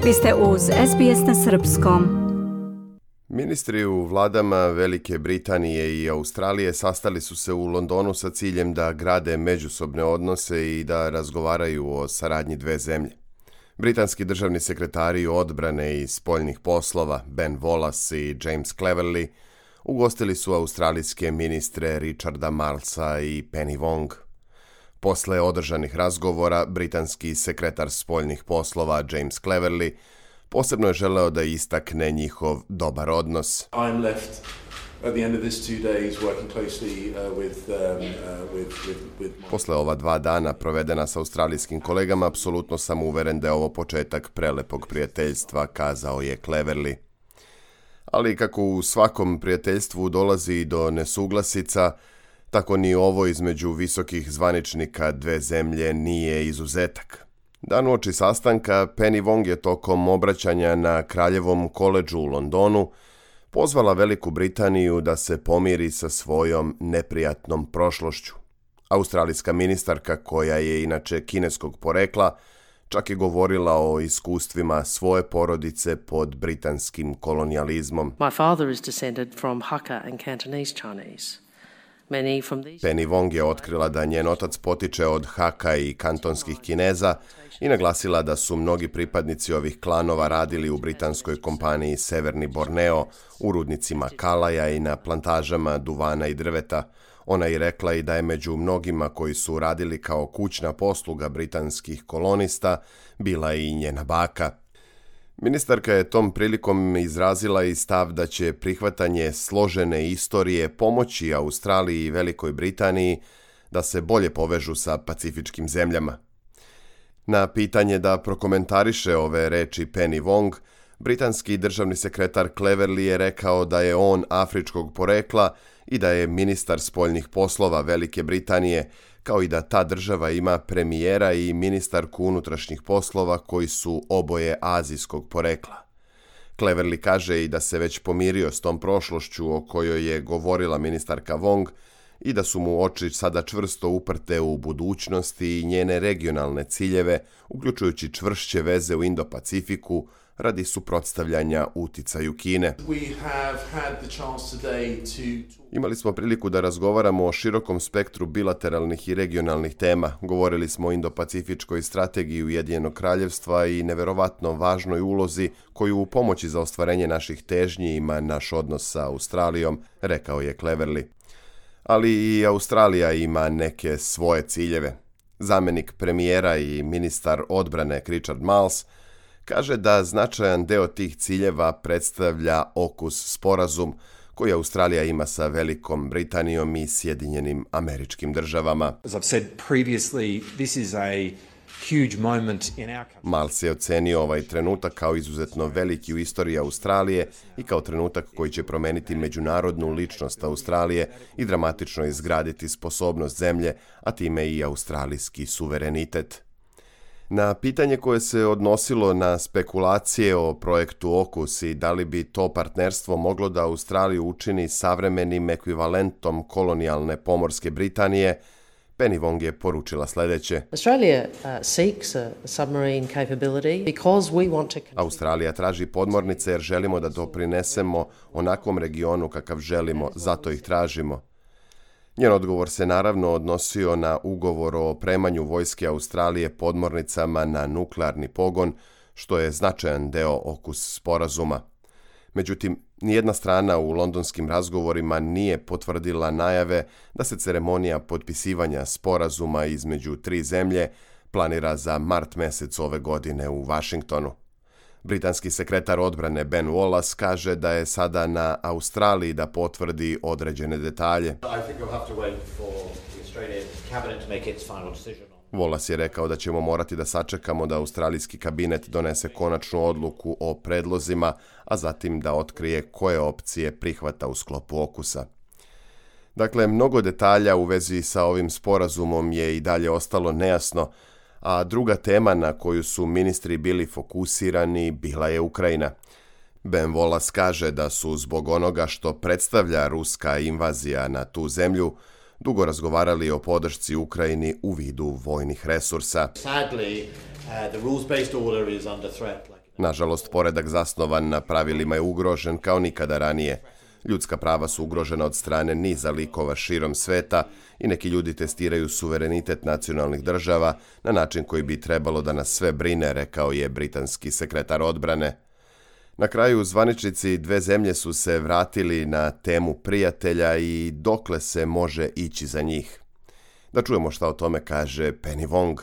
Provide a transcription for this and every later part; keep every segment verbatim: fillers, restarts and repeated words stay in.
Vi ste uz S B S na srpskom. Ministri u vladama Velike Britanije i Australije sastali su se u Londonu sa ciljem da grade međusobne odnose i da razgovaraju o saradnji dve zemlje. Britanski državni sekretari odbrane i spoljnih poslova Ben Wallace i James Cleverly ugostili su australijske ministre Richarda Marlesa i Penny Wong. Posle održanih razgovora, britanski sekretar spoljnih poslova James Cleverly posebno je želeo da istakne njihov dobar odnos. I'm left at the end of this two days working closely uh, with, um, uh, with, with, with... Posle ova dva dana provedena s australijskim kolegama, apsolutno sam uveren da je ovo početak prelepog prijateljstva, kazao je Cleverly. Ali kako u svakom prijateljstvu dolazi do nesuglasica, tako ni ovo između visokih zvaničnika dve zemlje nije izuzetak. Dan uoči sastanka, Penny Wong je tokom obraćanja na Kraljevom koledžu u Londonu pozvala Veliku Britaniju da se pomiri sa svojom neprijatnom prošlošću. Australijska ministarka, koja je inače kineskog porekla, čak je govorila o iskustvima svoje porodice pod britanskim kolonijalizmom. My father is descended from Hakka and Cantonese Chinese. Penny Wong je otkrila da njen otac potiče od Haka i kantonskih Kineza i naglasila da su mnogi pripadnici ovih klanova radili u britanskoj kompaniji Severni Borneo, u rudnicima kalaja i na plantažama duvana i drveta. Ona je rekla i da je među mnogima koji su radili kao kućna posluga britanskih kolonista bila i njena baka. Ministarka je tom prilikom izrazila i stav da će prihvatanje složene istorije pomoći Australiji i Velikoj Britaniji da se bolje povežu sa pacifičkim zemljama. Na pitanje da prokomentariše ove reči Penny Wong, britanski državni sekretar Cleverly je rekao da je on afričkog porekla i da je ministar spoljnih poslova Velike Britanije, kao i da ta država ima premijera i ministarku unutrašnjih poslova koji su oboje azijskog porekla. Cleverly kaže i da se već pomirio s tom prošlošću o kojoj je govorila ministarka Wong i da su mu oči sada čvrsto uprte u budućnosti i njene regionalne ciljeve, uključujući čvršće veze u Indo-Pacifiku radi suprotstavljanja uticaju Kine. Imali smo priliku da razgovaramo o širokom spektru bilateralnih i regionalnih tema. Govorili smo o Indo-Pacifičkoj strategiji Ujedinjenog kraljevstva i neverovatno važnoj ulozi koju u pomoći za ostvarenje naših težnji ima naš odnos sa Australijom, rekao je Cleverly. Ali i Australija ima neke svoje ciljeve. Zamenik premijera i ministar odbrane Richard Marles kaže da značajan deo tih ciljeva predstavlja AUKUS sporazum koji Australija ima sa Velikom Britanijom i Sjedinjenim Američkim Državama. Marles je ocenio ovaj trenutak kao izuzetno veliki u istoriji Australije i kao trenutak koji će promeniti međunarodnu ličnost Australije i dramatično izgraditi sposobnost zemlje, a time i australijski suverenitet. Na pitanje koje se odnosilo na spekulacije o projektu AUKUS i da li bi to partnerstvo moglo da Australiju učini savremenim ekvivalentom kolonijalne pomorske Britanije, Penny Wong je poručila sljedeće. Australia uh, seeks a submarine capability because we want to... Australija traži podmornice jer želimo da doprinesemo onakvom regionu kakav želimo, zato ih tražimo. Njen odgovor se naravno odnosio na ugovor o opremanju vojske Australije podmornicama na nuklearni pogon, što je značajan deo AUKUS sporazuma. Međutim, nijedna strana u londonskim razgovorima nije potvrdila najave da se ceremonija potpisivanja sporazuma između tri zemlje planira za mart mesec ove godine u Washingtonu. Britanski sekretar odbrane Ben Wallace kaže da je sada na Australiji da potvrdi određene detalje. Wallace je rekao da ćemo morati da sačekamo da australijski kabinet donese konačnu odluku o predlozima, a zatim da otkrije koje opcije prihvata u sklopu AUKUS-a. Dakle, mnogo detalja u vezi sa ovim sporazumom je i dalje ostalo nejasno, a druga tema na koju su ministri bili fokusirani bila je Ukrajina. Ben Wallace kaže da su zbog onoga što predstavlja ruska invazija na tu zemlju dugo razgovarali o podršci Ukrajini u vidu vojnih resursa. Nažalost, poredak zasnovan na pravilima je ugrožen kao nikada ranije. Ljudska prava su ugrožena od strane niza likova širom sveta i neki ljudi testiraju suverenitet nacionalnih država na način koji bi trebalo da nas sve brine, rekao je britanski sekretar odbrane. Na kraju, zvaničnici dve zemlje su se vratili na temu prijatelja i dokle se može ići za njih. Da čujemo šta o tome kaže Penny Wong.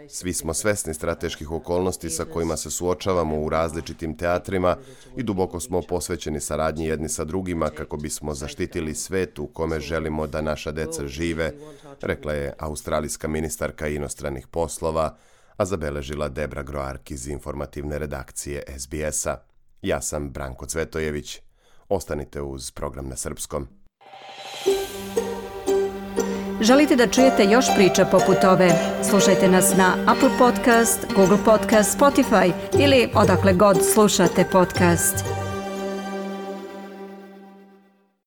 Svi smo svesni strateških okolnosti sa kojima se suočavamo u različitim teatrima i duboko smo posvećeni saradnji jedni sa drugima kako bismo zaštitili svet u kome želimo da naša deca žive, rekla je australijska ministarka inostranih poslova, a zabeležila Debra Groark iz informativne redakcije S B S-a. Ja sam Branko Cvetojević. Ostanite uz program na srpskom. Želite da čujete još priča poput ove? Slušajte nas na Apple Podcast, Google Podcast, Spotify ili odakle god slušate podcast.